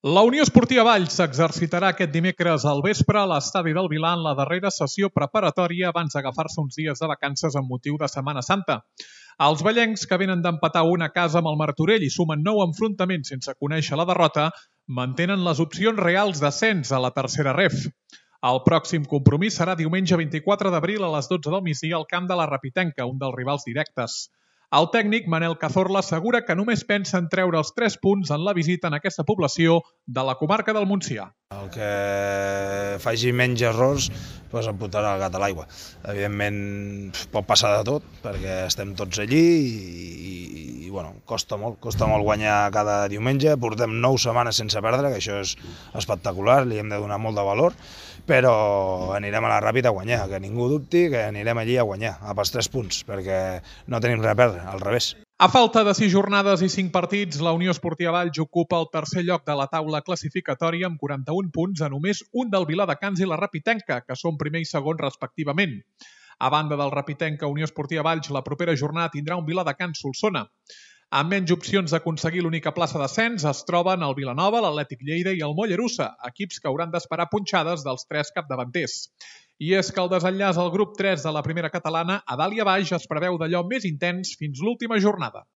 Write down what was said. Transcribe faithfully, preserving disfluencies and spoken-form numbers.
La Unió Esportiva Valls s'exercitarà aquest dimecres al vespre a l'estadi del Vilà en la darrera sessió preparatòria abans d'agafar-se uns dies de vacances amb motiu de Setmana Santa. Els vallencs, que venen d'empatar una casa amb el Martorell i sumen nou enfrontaments sense conèixer la derrota, mantenen les opcions reals d'ascens a la tercera ref. El pròxim compromís serà diumenge vint-i-quatre d'abril a les dotze del migdia al camp de la Rapitenca, un dels rivals directes. El tècnic Manel Cazorla assegura que només pensa en treure els tres punts en la visita en aquesta població de la comarca del Montsià. El que faci menys errors doncs em portarà el gat a l'aigua. Evidentment pot passar de tot perquè estem tots allí i, i, i bueno, costa molt, costa molt guanyar cada diumenge. Portem nou setmanes sense perdre, que això és espectacular, li hem de donar molt de valor, però anirem a la Ràpita a guanyar, que ningú dubti que anirem allí a guanyar, a pels tres punts, perquè no tenim res a perdre, al revés. A falta de sis jornades i cinc partits, la Unió Esportiva Valls ocupa el tercer lloc de la taula classificatòria amb quaranta-un punts a només un del Viladecans i la Rapitenca, que són primer i segon respectivament. A banda del Rapitenca Unió Esportiva Valls, la propera jornada tindrà un Viladecans-Solsona. Amb menys opcions d'aconseguir l'única plaça d'ascens es troben el Vilanova, l'Atlètic Lleida i el Mollerussa, equips que hauran d'esperar punxades dels tres capdavanters. I és que el desenllaç al grup tres de la primera catalana a dalt i a baix es preveu d'allò més intens fins l'última jornada.